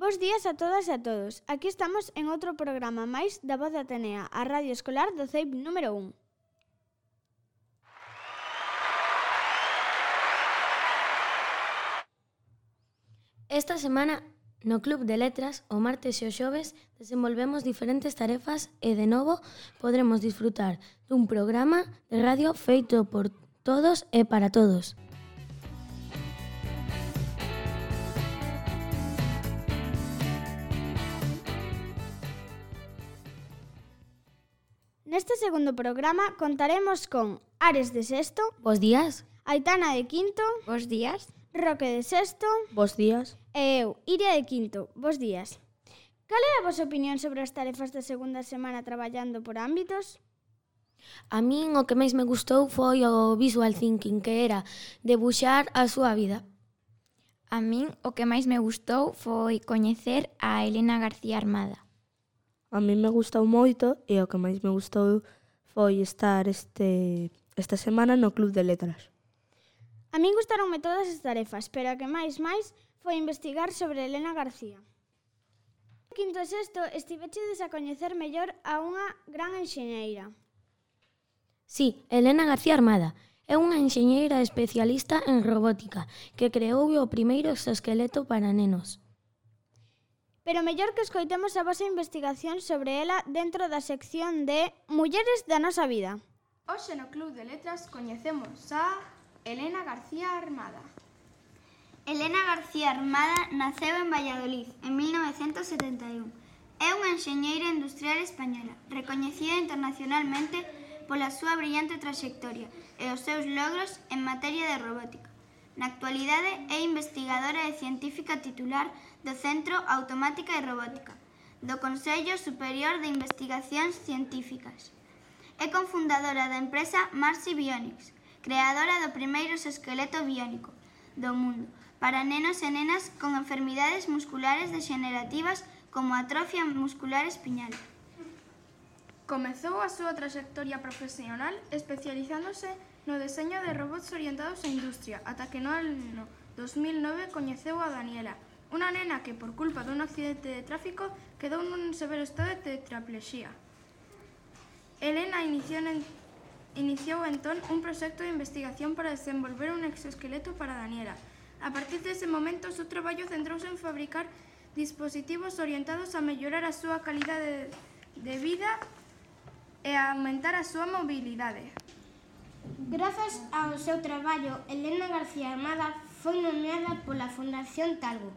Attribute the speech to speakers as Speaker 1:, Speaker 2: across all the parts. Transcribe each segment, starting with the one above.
Speaker 1: Bos días a todas e a todos. Aquí estamos en outro programa máis da Voz de Atenea, a Radio Escolar do CEIP número 1.
Speaker 2: Esta semana, no Club de Letras, o martes e o xoves, desenvolvemos diferentes tarefas e, de novo, podremos disfrutar dun programa de radio feito por todos e para todos.
Speaker 1: Neste segundo programa contaremos con Ares de sexto,
Speaker 2: Bos días.
Speaker 1: Aitana de quinto,
Speaker 3: Bos días.
Speaker 1: Roque de sexto
Speaker 4: Bos días.
Speaker 1: e eu, Iria de quinto. Bos días. Cal é a vosa opinión sobre as tarefas da segunda semana traballando por ámbitos?
Speaker 2: A min o que máis me gustou foi o visual thinking, que era debuxar a súa vida.
Speaker 3: A min o que máis me gustou foi coñecer a Elena García Armada.
Speaker 4: A mí me gustou moito e o que máis me gustou foi estar esta semana no Club de Letras.
Speaker 1: A min gustaronme todas as tarefas, pero a que máis foi investigar sobre Elena García. Quinto e sexto estivechedes a coñecer mellor a unha gran enxeñeira.
Speaker 2: Sí, Elena García Armada é unha enxeñeira especialista en robótica que creou o primeiro exoesqueleto para nenos.
Speaker 1: Pero mellor que escoitemos a vosa investigación sobre ela dentro da sección de Mulleres da nosa vida.
Speaker 5: Hoxe no Club de Letras coñecemos a Elena García Armada.
Speaker 6: Elena García Armada naceu en Valladolid en 1971. É unha enxeñeira industrial española, recoñecida internacionalmente pola súa brillante traxectoria e os seus logros en materia de robótica. Na actualidade é investigadora e científica titular do Centro Automática e Robótica, do Consello Superior de Investigacións Científicas. É cofundadora da empresa Marsi Bionics, creadora do primeiro exoesqueleto biónico do mundo para nenos e nenas con enfermidades musculares degenerativas como atrofia muscular espiñal.
Speaker 5: Comezou a súa traxectoria profesional especializándose no deseño de robots orientados á industria, ata que no ano 2009 coñeceu a Daniela, unha nena que, por culpa dun accidente de tráfico, quedou nun severo estado de tetraplexía. Elena iniciou entón un proxecto de investigación para desenvolver un exoesqueleto para Daniela. A partir dese momento, o seu traballo centrouse en fabricar dispositivos orientados a mellorar a súa calidade de vida e a aumentar a súa mobilidade.
Speaker 7: Grazas ao seu traballo, Elena García Armada foi nomeada pola Fundación Talgo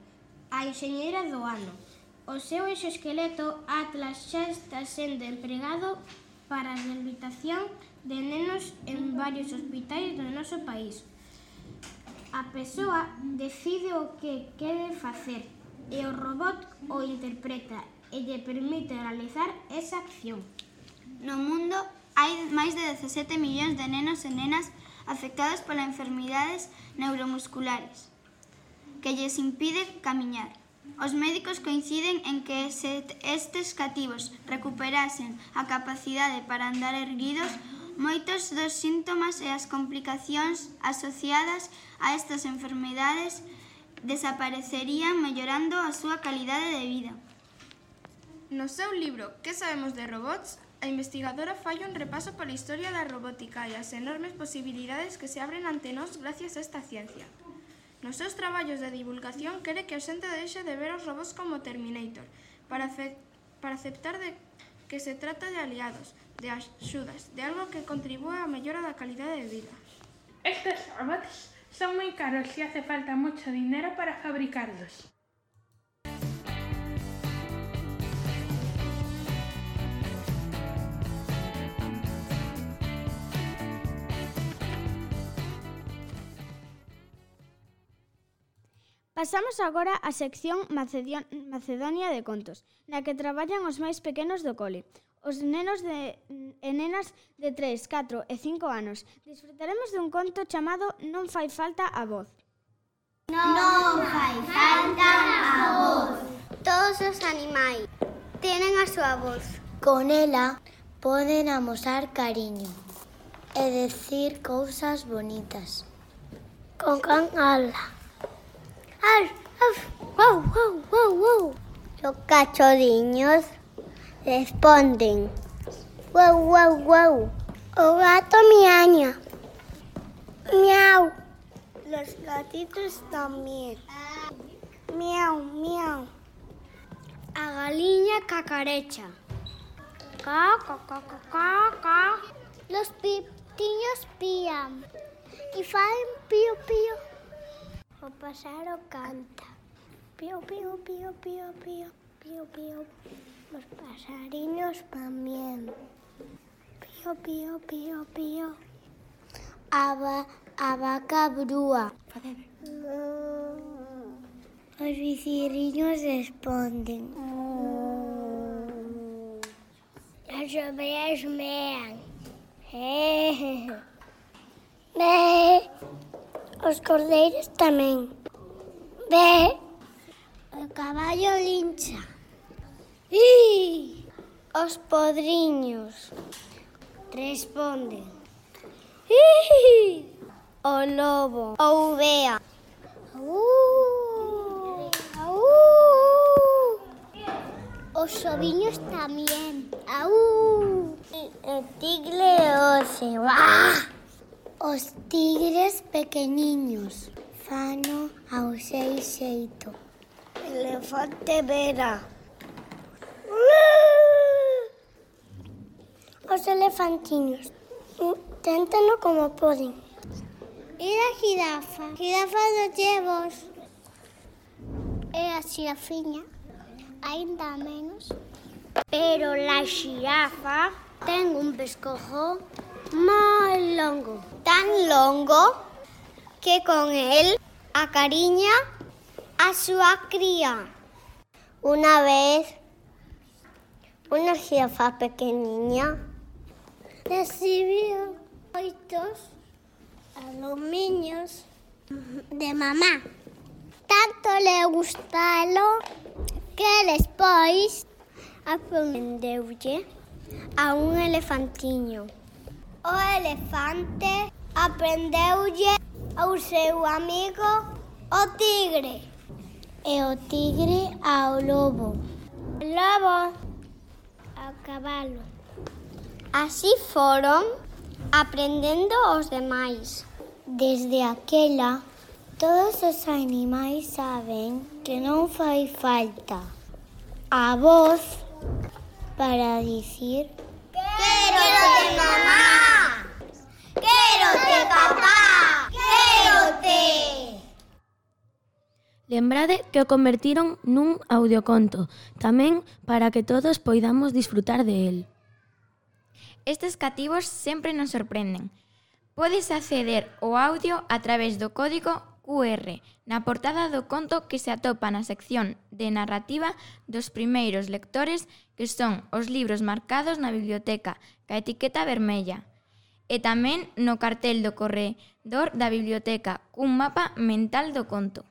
Speaker 7: a enxeñeira do ano. O seu exoesqueleto Atlas xa está sendo empregado para a rehabilitación de nenos en varios hospitais do noso país. A persoa decide o que quere facer e o robot o interpreta e lle permite realizar esa acción.
Speaker 6: No mundo hai máis de 17 millóns de nenos e nenas afectados polas enfermidades neuromusculares que lles impide camiñar. Os médicos coinciden en que se estes cativos recuperasen a capacidade para andar erguidos, moitos dos síntomas e as complicacións asociadas a estas enfermidades desaparecerían mellorando a súa calidade de vida.
Speaker 5: No seu libro Que sabemos de robots?, a investigadora fai un repaso pola historia da robótica e as enormes posibilidades que se abren ante nós gracias a esta ciencia. Nos seus traballos de divulgación quere que a xente deixe de ver os robots como Terminator para aceptar de que se trata de aliados, de axudas, de algo que contribúe á mellora da calidade de vida.
Speaker 8: Estes robots son moi caros e hace falta moito dinero para fabricarlos.
Speaker 1: Pasamos agora á sección Macedonia de Contos, na que traballan os máis pequenos do cole. Os nenos e nenas de 3, 4 e 5 anos. Disfrutaremos dun conto chamado Non fai falta a voz.
Speaker 9: Non fai falta a voz. Todos os animais tenen a súa voz.
Speaker 10: Con ela poden amosar cariño e decir cousas bonitas. Con can ala. Ar,
Speaker 9: Wow, wow, wow, wow. Los cachorriños responden. Wow, wow, wow. O gato miaña. Miau. Los gatitos también. Miau, miau. A galiña cacarecha. Ca, ca, ca, ca, ca, ca. Los pitiños pían. Y faen pío, pío. O pájaro canta. Pío, pío, pío, pío, pío, pío, pío. Los pasarinos también. Pío, pío, pío, pío. A vaca brúa. Los viciriños responden. Las ovejas mean. Os cordeiros tamén. O caballo lincha. Os podriños responden. O lobo. O uvea. Os oviños tamén. O tigre oce. Os tigres pequeniños fano ao seu xeito. Elefante vera. Os elefantiños téntano como poden. E a xirafa? Xirafa dos llevos. E a xirafiña? Ainda menos. Pero la xirafa ten un pescozo moi longo. Tan longo que con él acariña a súa cría. Una vez, unha xirafa pequeniña recibiu 8 alumiños de mamá. Tanto le gustalo que despois aprendeulle a un elefantiño. O elefante aprendeulle ao seu amigo o tigre. E o tigre ao lobo. O lobo ao cabalo. Así foron aprendendo os demais. Desde aquela, todos os animais saben que non fai falta a voz para dicir quérote mamá, quérote papá, quérote.
Speaker 2: Lembrade que o convertiron nun audioconto, tamén para que todos poidamos disfrutar de él.
Speaker 3: Estes cativos sempre nos sorprenden. Podes acceder ao audio a través do código QR na portada do conto que se atopa na sección de narrativa dos primeiros lectores, que son os libros marcados na biblioteca ca etiqueta vermella, e tamén no cartel do corredor da biblioteca cun mapa mental do conto.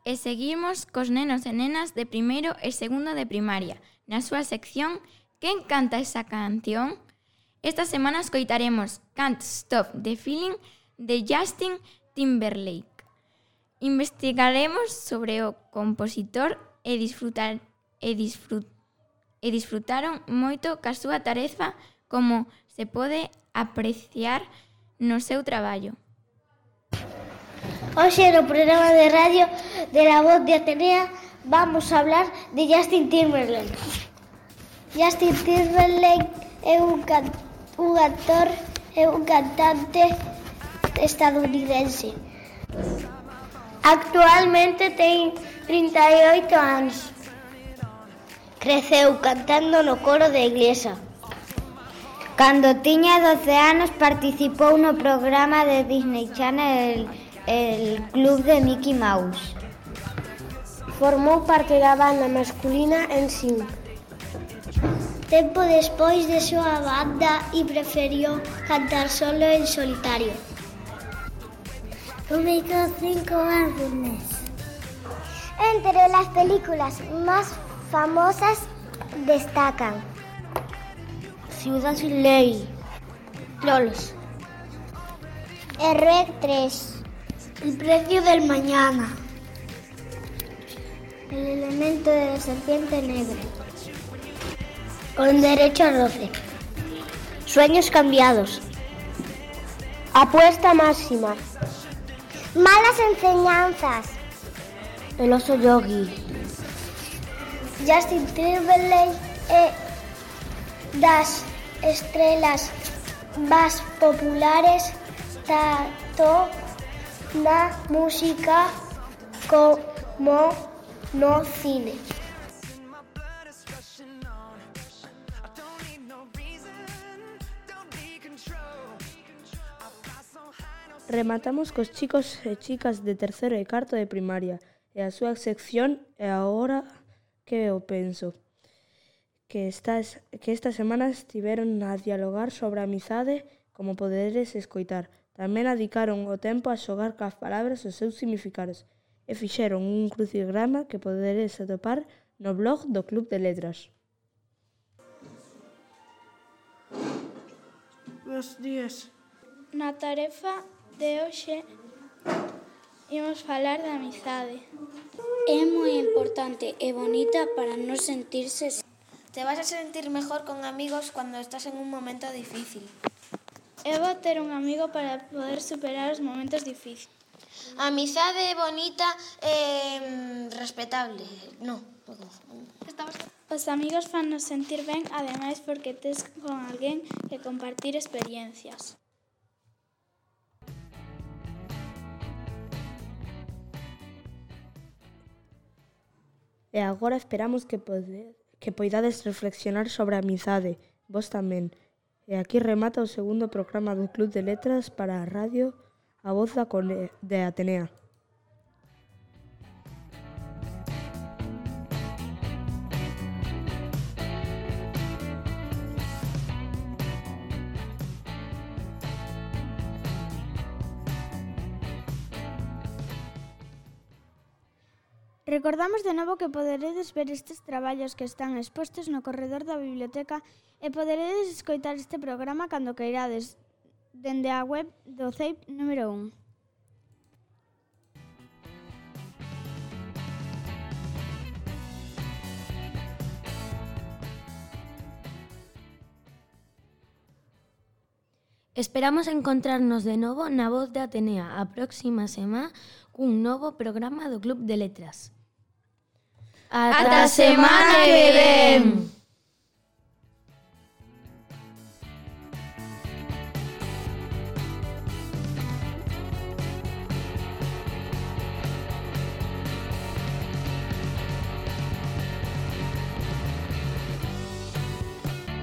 Speaker 3: E seguimos cos nenos e nenas de primeiro e segundo de primaria, na súa sección Quen canta esa canción? Esta semana escoitaremos Can't Stop the Feeling de Justin Timberlake. Investigaremos sobre o compositor e disfrutaron moito ca súa tarefa, como se pode apreciar no seu traballo.
Speaker 7: Hoxe no programa de radio de La Voz de Atenea vamos a hablar de Justin Timberlake. Justin Timberlake é un actor e un cantante estadounidense. Actualmente ten 38 anos. Creceu cantando no coro da iglesia. Cando tiña 12 anos participou no programa de Disney Channel El Club de Mickey Mouse. Formou parte da banda masculina NSYNC. Tempo despois deixou a banda e preferiu cantar solo en solitario. Publicou 5 álbumes.
Speaker 9: Entre las películas más famosas destacan
Speaker 10: Ciudad sin ley, Lolos,
Speaker 9: REC 3,
Speaker 10: El precio del mañana,
Speaker 9: El elemento de la serpiente negra,
Speaker 10: Con derecho a roce, Sueños cambiados,
Speaker 9: Apuesta máxima, Malas enseñanzas,
Speaker 10: El oso yogi,
Speaker 9: Justin Timberlake e das estrelas más populares tanto na música como no cine.
Speaker 4: Rematamos cos chicos e chicas de terceiro e cuarto de primaria e a súa sección é agora que eu penso. Que esta semana estiveron a dialogar sobre a amizade, como poderes escoitar. Tamén dedicaron o tempo a xogar cas palabras os seus significados e fixeron un crucigrama que poderes atopar no blog do Club de Letras.
Speaker 8: Bos días.
Speaker 5: Na tarefa de hoxe imos falar da amizade.
Speaker 10: É moi importante e bonita para non sentirse.
Speaker 11: Te vas a sentir mejor con amigos cuando estás en un momento difícil.
Speaker 5: É bo ter un amigo para poder superar os momentos difíciles.
Speaker 11: A amizade é bonita e respetable. No.
Speaker 5: Os amigos fannos sentir ben, ademais porque tes con alguén que compartir experiencias.
Speaker 4: E agora esperamos que poidades reflexionar sobre a amizade, vos tamén. E aquí remata o segundo programa do Club de Letras para a radio A Voz de Atenea.
Speaker 1: Recordamos de novo que poderedes ver estes traballos que están expostos no corredor da biblioteca e poderedes escoitar este programa cando queirades dende a web do CEIP número 1.
Speaker 2: Esperamos encontrarnos de novo na Voz de Atenea a próxima semana cun novo programa do Club de Letras.
Speaker 3: Ata semana que ven!